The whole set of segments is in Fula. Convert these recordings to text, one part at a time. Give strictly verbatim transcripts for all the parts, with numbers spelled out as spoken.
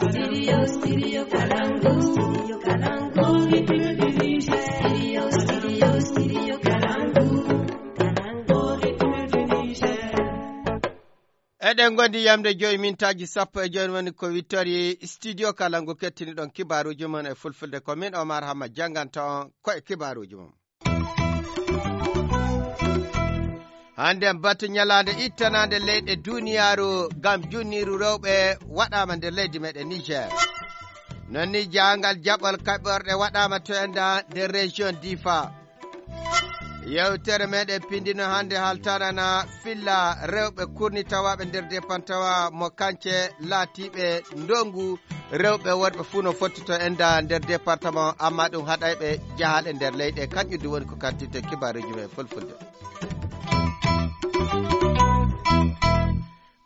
Studio, studio Kalangu, studio Kalangu, ritme du Niger. Studio, studio, studio Kalangu, Kalangu, ritme du Niger. Eɗen ngondi yamde joyi mintaaji sappo e joyi woni ko wittori studio Kalangu kettiniɗon kibaaruuji mon e fulfulde. Ko min Omar Hamma jannganta on ko e kibaaruuji mon. Hannde en batu ñalaande ittanaande leyɗe duniyaaru ngam junniiru rewɓe waɗaama nder leydi meɗen Niger. Non ni jaangal jaɓol kaɓorɗe waɗaama to enda nder région Difa. Yewtere meɗen pindino hannde haltanana filla rewɓe kurni tawaaɓe nder département mo kance laatiiɓe ndongu rewɓe worɓe fuu no fotti to enda nder département, amma ɗum haɗayɓe jahaale nder leyɗe. Kanƴum du woni ko kantirte kibaaruuji men fulfulde.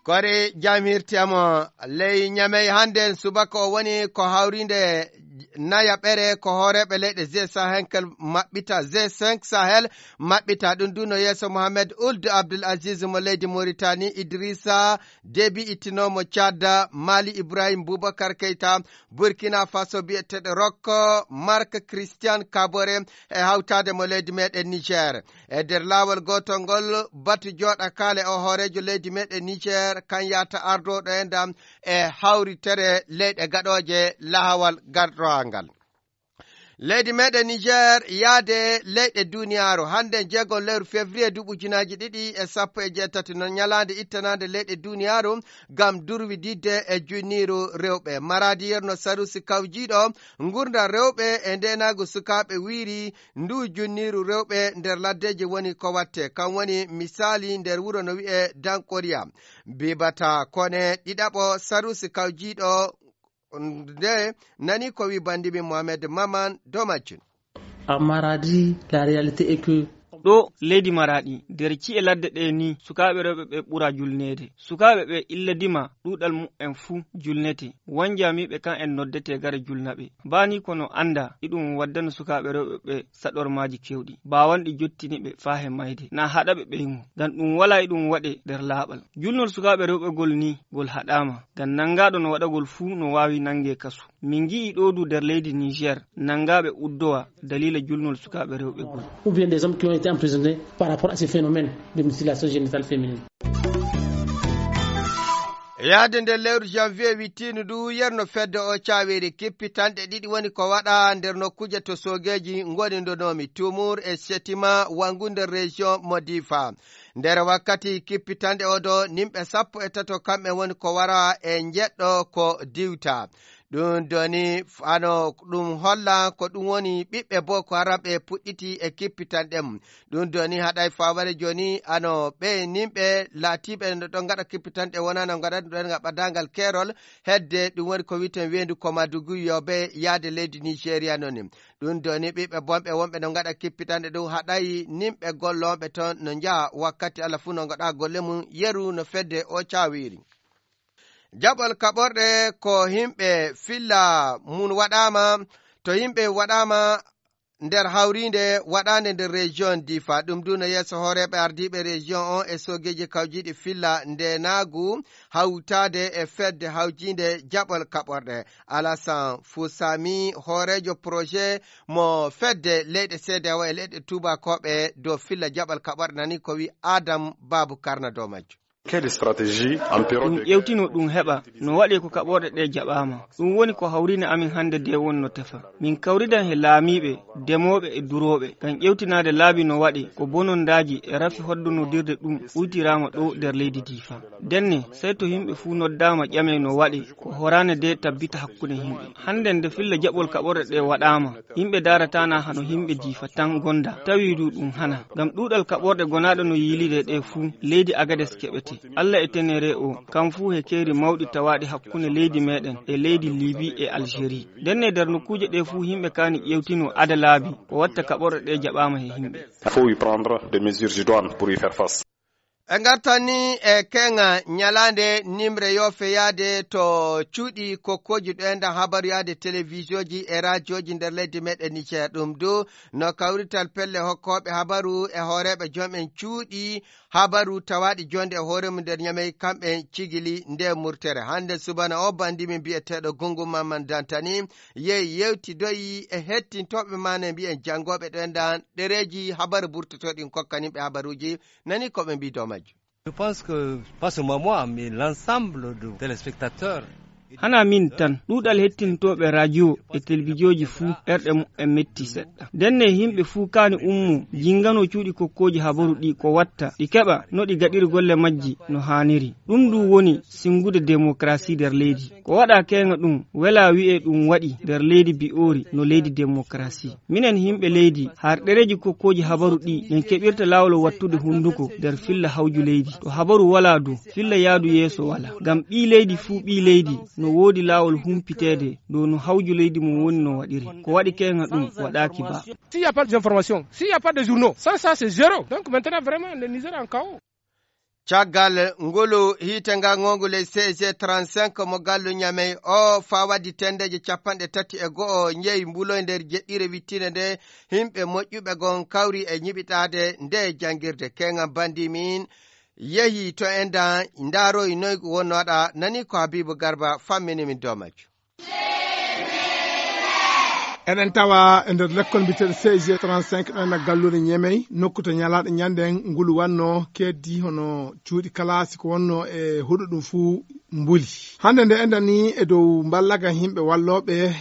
Kore jam hirti amo ley Ñamey hannde en subaka o woni ko hawrinde nayaɓere ko hooreeɓe leyɗe G cinq maɓɓita, G cinq Sahel maɓɓita. Ɗum du no yeeso Mohamed Ould Abdul Aziz mo leydi Mauritanie, Idrissa Déby ittinoomo Tchad, Mali Ibrahim Boubacar Keita, Burkina Faso biyeteeɗo Rock Marc Christian Kabore e hawtaade mo leydi meɗen Niger. E nder laawol gootol ngol, batu jooɗa kaale o hooreejo leydi meɗen Niger, kan yahata ardooɗo e ndam e hawritere leyɗe gaɗooje lahawal gardowangal. Leydi meɗen Niger yaade leyɗe duniyaaru. Hannde jeego lewru février duuɓi ujunaaji ɗiɗi e sappo e jeetati no ñalaande ittanaande leyɗe duniyaaru ngam durwididde e junniiru rewɓe. Maradi yerno Sarusi kawjiiɗo ngurndan rewɓe e ndeenaagu sukaaɓe wiiri ndu junniiru rewɓe nder laddeeji woni ko watte. Kan woni misaali nder wuro no wi'e Dankoriya. Bibata Kone ɗiɗaɓo Sarusi kawjiiɗo nde nani ko wi bandimin Mohamed Maman Domacin. En Maradi, la réalité est que ɗo leydi Maraɗi, nder ci'e ladde ɗe ni, sukaaɓe rewɓe ɓe ɓura julneede. Sukaaɓe ɓe illa dima ɗuuɗal mu'en fuu julnete. Wanjamiiɓe kan en noddete gare julnaɓe. Baa ni kono annda iɗum waddano sukaaɓe rewɓe ɓe saɗormaaji kewɗi, baawanɗi jottini ɓe faa he mayde, naa haɗa ɓe ɓeymo. Ngam ɗum walaa iɗum waɗe nder laaɓal. Julnol sukaaɓe rewɓe gol ni, gol haɗaama. Ngam nanngaaɗo no waɗagol fuu no waawi nanngee kasu. Min ngi'i ɗo du nder leydi Niger, nanngaaɓe uddowa daliila julnol sukaaɓe rewɓe gol. Ou bien des hommes qui ont été emprisonnés par rapport à ce phénomène de mutilation génitale féminine. Yaade nder lewru janvier wittiindu ndu, yerno fedde o caaweeri kippitanɗe ɗiɗi woni ko waɗa nder nokkuuje to soogeeji ngoni ndonoomi Tuumur e Setima wanngu nder région mo Difa. Nder wakkati kippitanɗe o do, nimɓe sappo e tato kamɓe woni ko wara e njeɗɗo ko diwta. Ɗum doni ano ɗum holla ko ɗum woni ɓiɓɓe Boko Haram ɓe puɗɗiti e kippitanɗe mum. Ɗum doni haɗay faware joni ano ɓe nimɓe laatiɓe no ɗon ngaɗa kippitanɗe wonano ngaɗa ɗum ɗon ngaɓa dangal keerol hedde ɗum woni ko witen weendu ko Madugu yobe yaade leydi Nigeria noni. Ɗum doni ɓiɓɓe bonɓe wonɓe no ngaɗa kippitanɗe ɗum haɗay nimɓe gollooɓe ton no njaha wakkati Allah fuu no ngaɗa golle mum yeru no fedde o cawiri. Jaɓol kaɓorɗe ko himɓe filla mun waɗaama, to himɓe waɗaama nder hawriinde waɗaande nder région Difa. Ɗum du no yeeso hooreeɓe ardiiɓe région on e soogeeji kawjiiɗi filla ndeenaagu hawtaade e fedde hawjiinde jaɓol kaɓorɗe. Alasan Fusami, hooreejo projet mo fedde leyɗe C D A O e leyɗe tuubakooɓe dow filla jaɓol kaɓorɗe nani ko wi Adam Babu Karna dow majjum. Quelle stratégie en période ɗum de ƴewtino ɗum heɓa no waɗe ko kaɓorɗe ɗe jaɓaama. Ɗum woni ko hawrina amin hannde de wonno tefa. Min kawridan he laamiiɓe, demooɓe e durooɓe. Ngam ƴewtinaade laabi no waɗe ko bonondaaji e rafi hoddonodirde ɗum uytiraama ɗo nder leydi Difa. Denne, sey to yimɓe fuu noddaama ƴamee no waɗe ko horaane de tabbita hakkunde yimɓe. Hannde nde filla jaɓol kaɓorɗe ɗe waɗaama, yimɓe daarataana hano yimɓe Difa tan gonda, tawi du ɗum hana. Ngam ɗuuɗal kaɓorɗe gonaaɗe no yiilide ɗe fuu, leydi Agades keɓete. Allah e tenere o, kam fuu he keeri mawɗi tawaaɗi hakkunde leydi meɗen e leydi Libi e Algérie. Ndenne nder nokkuuje ɗe fuu yimɓe kaani ƴewtino ada laabi, ko watta kaɓorɗe ɗe jaɓaama he yimɓe. Il faut y prendre des mesures idoines pour y faire face. Ɓe ngartani e keŋa ñalaande nimre yo feyaade to cuuɗi kokkooji ɗo enda habaru yaade telewisiooji e raajooji nder leydi meɗen Niger. Ɗum du no kawrital pelle hokkooɓe habaru e hooreeɓe joom en cuuɗi habaru tawaaɗi jonde e hoore mum nder Ñamey kamɓe cigili nde murtere. Hannde subana o bandi min biyeteeɗo Gungu Mamman Dantani yehi yewtidoyi e hettintooɓe maane mbiyen janngooɓe ɗo enda ɗereeji habaru burtotooɗi kokkaniɓe habaruuji. Nani ko ɓe mbii dow majjum. Je pense que, pas seulement moi, mais l'ensemble de téléspectateurs. Hana min tan, ɗuuɗal hettintooɓe radio e telebijooji fuu, ɓerɗe muɓɓen metti seɗɗa. Ndenne, yimɓe fuu kaani ummo, jinngano cuuɗi kokkooji habaru ɗi ko watta, ɗi keɓa no ɗi gaɗiri golle majji no haaniri. Ɗum ndu woni sinngude demokarasi nder leydi. Ko waɗa keeŋa ɗum, wela wi'e ɗum waɗi nder leydi bi'oori no leydi demokarasi. Minen yimɓe leydi, har ɗereeji kokkooji habaru ɗi, en keɓirta laawol wattude hunnduko nder filla hawju leydi. To habaru walaa du, filla yaadu yeeso walaa. Ngam ɓii leydi fuu ɓii leydi, no woodi laawol humpiteede dow no hawju leydi mum woni no waɗiri. Ko waɗi keeŋa ɗum, waɗaaki ba. S'il n'y a pas d'information, s'il n'y a pas de journaux, ça, ça, c'est zéro. Donc maintenant, vraiment, le Niger en chaos. Caggal ngolu hiite ngal ngongu ley C G trente-cinq mo gallu Ñamey o faa waddi tendeeje capanɗe tati e go'o njeyi mbuloy nder jeɗɗire wittinde nde yimɓe moƴƴuɓe gon kawri e ñiɓitaade nde janngirde. Keeŋa bandi min yehi to enda ndaaroyi noy wonno waɗa. Nani ko Habibu Garba fammini min dow majjum. Eɗen tawa e nder lekkol mbiyeteeɗo C G trente-cinq ɗo e galluure Ñemey, nokku to ñalaaɗo ñande ngulu wanno keddi hono cuuɗi kalaasi ko wonno e huɗo ɗum fuu mbuli. Hannde nde endani e dow mballaga yimɓe wallooɓe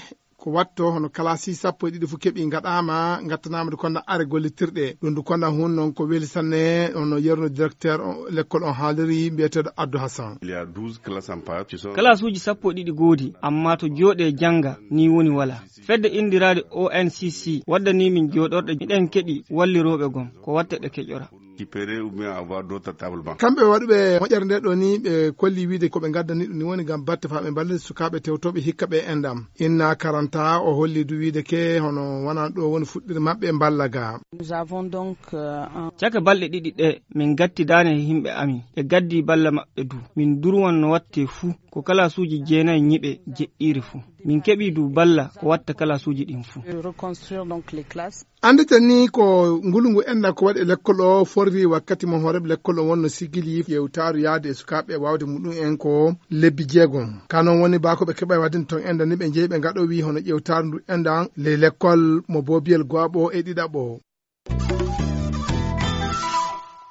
ko watto hono kalaasi sappo e ɗiɗi fuu keɓi ngaɗaama, ngattanaama ndu konda are gollitirɗe. Ɗum ndu konda hun noon ko weli sanne hono yerno directeur o lekkol on haaliri mbiyeteeɗo Abdou Hassan. Il y a douze classes en part qui sont Kalaasuuji sappo e ɗiɗi goodi, amma to jooɗe jannga ni woni wala. Fedde inndiraaɗe O N C C waddanii min jooɗorɗe, miɗen keɓi wallirooɓe gom ko watta ɗe keƴora. Récupérer ou bien avoir d'autres tableaux. Kamɓe waɗuɓe moƴƴere nde ɗo ni ɓe kolli wiide ko ɓe ngaddani ɗum ni woni ngam batte faa ɓe mballita sukaaɓe tewtooɓe hikka ɓe endam. Inna Karanta o holli du wiide ke hono wonaa ɗo woni fuɗɗire maɓɓe mballa ga. Nous avons donc, euh, un Caka balɗe ɗiɗi ɗe min ngattidaani e yimɓe amin. Ɓe gaddi balla maɓɓe du. Min durwan no watte fuu. Ko kalaasuuji jeenayi ñiɓe jeɗɗiire fuu. Min keɓii du balla ko watta kalaasuuji ɗin fuu. De reconstruire donc les classes. Annditen ni ko ngulngu enna ko waɗi e lekkol o forri wakkati mo hooreeɓe lekkol o wonno sigili yewtaaru yaade e sukaaɓe waawde muɗum en ko lebbi jeegom. Ka noon woni baa ko ɓe keɓa e waɗde toon enda ni ɓe njeyi ɓe ngaɗowi hono ƴewtaaru ndu enda ley lekkol mo boobiyel gooɓo e ɗiɗaɓo.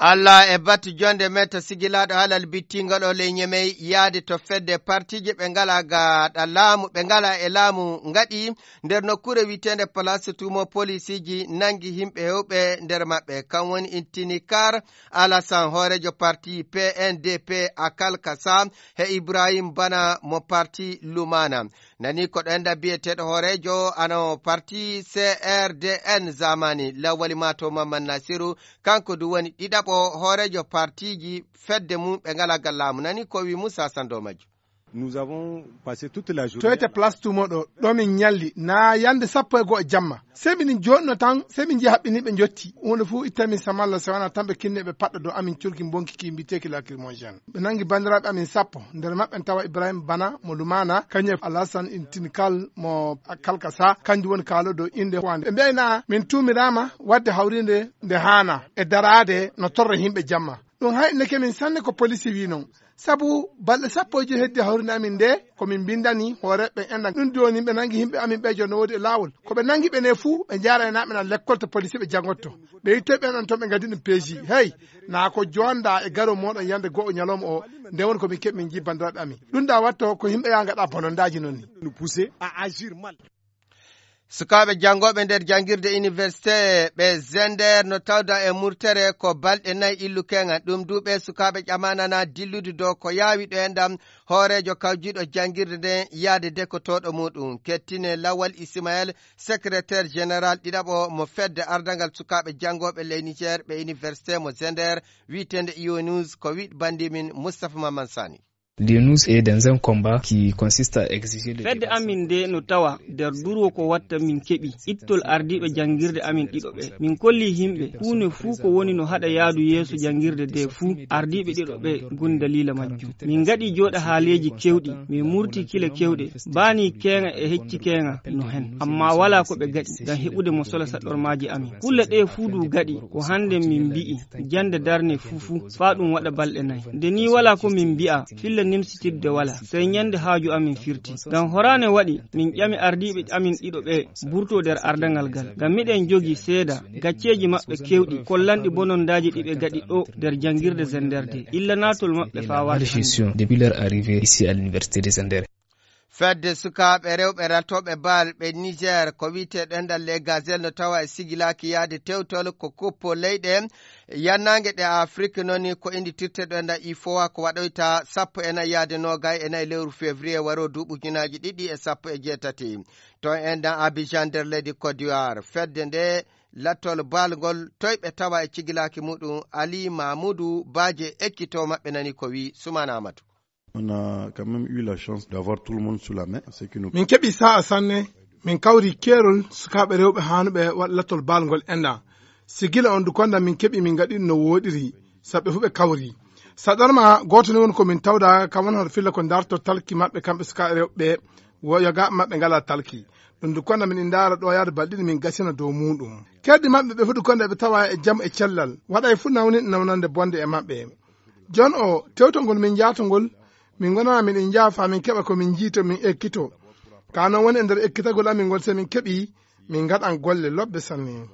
Allah e batu jonde men to sigilaaɗo halal bittingol o ley Ñemey yaade to fedde partiiji ɓe ngalaa gaɗa laamu, ɓe ngalaa e laamu ngaɗi nder nokkuure wiyeteende Place Tumo polisiiji nangi yimɓe hewɓe nder maɓɓe. Kan woni Intinikar Alasan hooreejo parti P N D P Akal Kasa he Ibrahim Bana mo parti Lumana. Nani ko ɗo enda biyeteeɗo hooreejo ano parti C R D N zamani Lawali Mato Mamman Nasiru, kanko du woni ɗiɗaɓo hooreejo partiiji fedde mum ɓe ngalaa gaɗa laamu. Nani ko wi Moussa Sando majjo. Nous avons passé toute la journée. Toyte place tumo ɗo, ɗo min ñalli, na yande sappo e go'o jamma. Se min joɗno tan, se min jeeyi haɓɓini ɓe jotti. Wonde fof itta min samalla se wona tan ɓe kinne ɓe paɗɗo dow amin curki bonki ki mbiteeki lacrymogène. Ɓe nangi bandiraɓe amin sappo, nder maɓɓe en tawa Ibrahim Bana mo Lumana, kañum e Alassane Intinikal mo Kalkasa, kanjum woni kaalo dow inde wande. Ɓe mbiyayna min tumirama wadde hawrinde nde haana e darade no torra yimɓe jamma. Ɗum haynike min sanne ko polisi wi non. Sabu balɗe sappo e joyi heddi hawrinde amin nde, ko min mbindani hooreɓe ɓen enɗan. Ɗum jooni ɓe nangi yimɓe amin ɓe jooni no woodi e laawol. Ko ɓe nangi ɓe ne fuu, ɓe njaarayna ɓe na lekkol to polisi ɓe jangotto. Ɓe yittoy ɓen on toon ɓe ngaddi ɗum peeji. Hey, na ko jonda e garo moɗon yande go'o ñalawma o, nde woni ko min keɓi min jii bandiraɓe amin. Ɗum da watto ko yimɓe ya ngaɗa bonondaji non ni. Nous pousser à agir mal. Sukaaɓe janngooɓe nder janngirde université ɓe Zender no tawda e murtere ko balɗe nayi illu keŋa. Ɗum du ɓe sukaaɓe ƴamanana dillude dow ko yaawi ɗo e ndam hooreejo kawjiiɗo janngirde nden yaade dekotooɗo muɗum. Kettine Lawal Ismael, secrétaire général ɗiɗaɓo mo fedde ardangal sukaaɓe janngooɓe ley Niger ɓe université mo Zender, wi'eteende Io News, ko wi'd bandimin Moustapha Maman Sani. De nous est dans un combat qui consiste à exiger le Fedde dépassement. Amin nde no tawa nder durwo ko watta min keɓi ittol ardiiɓe janngirde amin ɗiɗo ɓe. Min kolli yimɓe huunde fuu ko woni no haɗa yaadu yeeso janngirde nde fuu, ardiiɓe ɗiɗo ɓe ngoni daliila majjum. Min ngaɗi jooɗa haaleeji keewɗi, min murti kile keewɗe, baani keeŋa e hecci keeŋa no heen. Ammaa walaa ko ɓe gaɗi ngam heɓude mo sola saɗɗormaaji amin. Kulle ɗee fuu du gaɗi ko hannde min mbi'i jannde darne fuu fuu faa ɗum waɗa balɗe nay. Nde nii walaa ko min mbi'a, filla nimsitirde walaa, sey ñande haaju amin firti. Ngam horaane waɗi, min ƴami ardiiɓe amin ɗiɗo ɓee mburtoo nder ardaŋal ngal. Ngam miɗen jogii seeda gacceeji maɓɓe keewɗi, kollanɗi bonondaaji ɗi ɓe gaɗi ɗo nder janngirde Zender de. Illa naatol maɓɓe faa warta hannde. Malgestion depuis leur arrivée ici à l'université de Zender. Fedde sukaaɓe rewɓe ratooɓe bal ɓe Niger, ko wiyetee ɗenɗal Les Gazelles, no tawa e sigilaaki yaade tewtol ko kuppo leyɗe yannaange ɗe Afrik, noon ni ko innditirtee ɗenɗal ifowa ko waɗoyta sappo e nayi yaade noogay e nayi lewru février waroo duuɓi ujunaaji ɗiɗi e sappo e jeetati. To enɗan Abidjan nder leydi Côte d'Ivoire, fedde nde lattol bal ngol toyɓe tawa e cigilaaki muɗum Ali Mamoudou Badje ekkitoo maɓɓe nani ko wi Soumana Amadou. On a quand même eu la chance d'avoir tout le monde sous la main, ce qui nous Min keɓi sa'a sanne, min kawri keerol sukaaɓe rewɓe haanuɓe waɗa lattol bal ngol enɗan. Si gila on du konda min keɓi min ngaɗi ɗum no wooɗiri, sabu ɓe fuu ɓe kawri. Saɗarma gooto ni woni ko min tawda, kam woni hoto filla ko darto talki maɓɓe kamɓe sukaaɓe rewɓe ɓe, wo yogaaɓe maɓɓe ngalaa talki. Ɗum du konda min ndaara ɗo yaade balɗe ɗiɗi min gasina dow muuɗum. Keerɗi maɓɓe ɓe fuu du konda ɓe tawa e jam e cellal. Waɗay fuu nawni nawnande bonde e maɓɓe. Jon o tewtol ngol min njaatongol, min ngonana min en njaafa min keɓa ko min njiito min ekkito. Ka non woni e nder ekkitagol amin ngol, so min keɓi min ngaɗan golle lobbe sanne.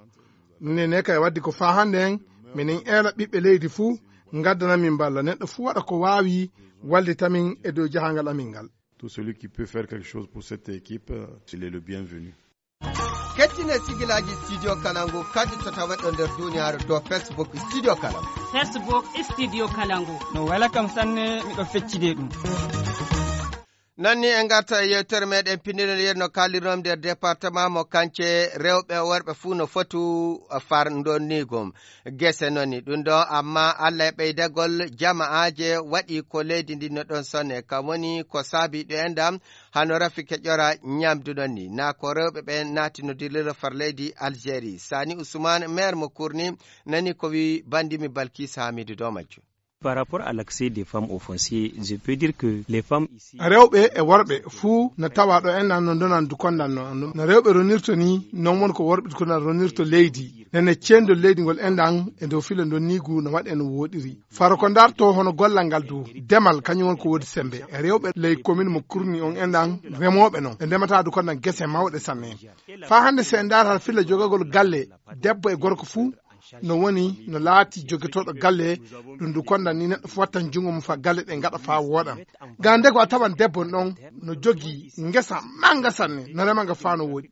Ɗum ne ne kay waddi ko faa hannde en minen eela ɓiɓɓe leydi fuu ngaddana min mballa. Neɗɗo fuu waɗa ko waawi wallita min e dow jahangal amin ngal. Tout celui qui peut faire quelque chose pour cette équipe, euh, il est le bienvenu. Kettine sigilaaji Studio Kalangu kadi to tawetɗo nder duniyaaru to Facebook Studio Kalangu. Facebook Studio Kalangu. No wela kam sanne, miɗo feccide ɗum. Noon ni en ngarta e yewtere meɗen pinndinol yeru no kaalirnomi nder département mo Kance, rewɓe e worɓe fuu no fotu far ndonniigu. Gese noon ni ɗum ɗo, amma Allah e ɓeydagol jama'aaje waɗi ko leydi ndi no ɗon sonne. Kam woni ko saabi ɗo enɗam hano rafi keƴora ñamdu ɗon ni. Na ko rewɓe ɓe naati no dillira far leydi Algérie. Sani Ousmane, maire mo Kurni, nani ko wi bandimi Balkis Hamidu dow majjum. Par rapport à l'accès des femmes au foncier, je peux dire que les femmes ici Rewɓe e worɓe fuu no tawa ɗo enɗan no ndonan du kondan no. No rewɓe ronirto ni, non won ko worɓe du kondan ronirto leydi. Nene cendol leydi ngol enɗan e dow filo ndonniigu no waɗe no wooɗiri. Faro ko ndarto hono gollal ngal du, demal kañum won ko woodi sembe. E rewɓe ley commune mo Kurni on enɗan remooɓe non. Ɓe ndemata du kondan gese mawɗe sanne. Faa hannde si en ndaara filla jogagol galle, debbo e gorko fuu, no woni, no laati jogitooɗo galle, ɗum du kondan ni neɗɗo fuu wattan junngo mum faa galle ɗe ngaɗa faa wooɗan. Ga nde ko a tawan debbo ɗon no jogii ngesa mannga sanne, no rema nga faa no wooɗi.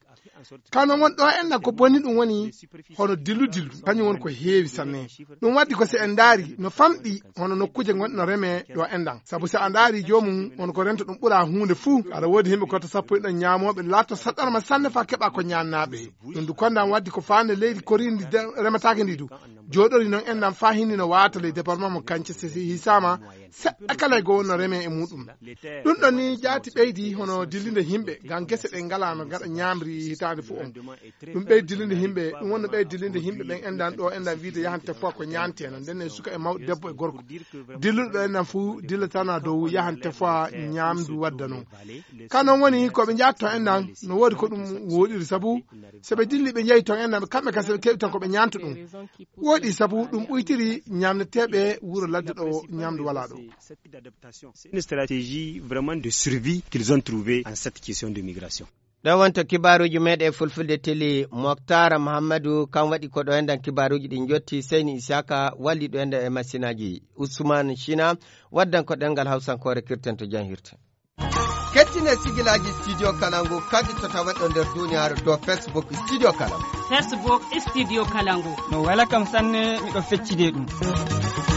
Ka non won ɗo enɗan ko boni ɗum woni hono dillu dillu, kañum woni ko heewi sanne. Ɗum waddi ko si en ndaari no famɗi hono nokkuuje ngonɗe no remee ɗo enɗan. Sabu si a ndaari joomum won ko rento ɗum ɓura huunde fuu. Aɗa woodi yimɓe ko to sappo e ɗon ñaamooɓe laatto saɗɗorma sanne faa keɓa ko ñaannaaɓe. Ɗum du kondan waddi ko faande leydi koriindi de-, remataake ndi du. Jooɗori non enɗan faa hinni no waata ley département mo Kance si, si hisaama seɗɗa kala e goo no remee e muuɗum. Ɗum ɗon ni jaati ɓeydi hono dillinde yimɓe, ngam gese ɗe ngalaa no ngaɗa ñaamri hitaande fof on. Ɗum ɓeydi dillinde yimɓe, ɗum wonno ɓeydi dillinde yimɓe ɓen enɗan ɗo enɗan wiide yahante fof ko ñaantee non. Nden ne suka e mawɗo debbo e gorko. Dilluɗo ɗo enɗan fuu dillatana dow yahante fof ñaamdu wadda non. Ka non woni ko ɓe njaata ton enɗan no woodi ko ɗum wooɗiri sabu so ɓe dilli ɓe njehi ton enɗan kamɓe kadi so ɓe keɓi ton ko ɓe ñaanta ɗum. Wooɗi sabu ɗum ɓuytiri ñaamneteeɓe wuro ladde ɗo ñaamdu walaa ɗo. C'est une stratégie vraiment de survie qu'ils ont trouvée en cette question de migration. Ɗo wonto kibaaruuji meɗen fulfulde teli. Moktar Mahammadu kam waɗi ko ɗo enɗan kibaaruuji ɗi njotti. Seyni Isaka walli ɗo enɗan e masinaaji. Ousmane China waddan ko ɗengal hawsankoore kirten to janhirte. Kettine sigilaaji Studio Kalangu kadi to tawetɗo nder duniyaaru to Facebook Studio Kalangu. Facebook Studio Kalangu. No wela kam sanne, miɗo feccide ɗum.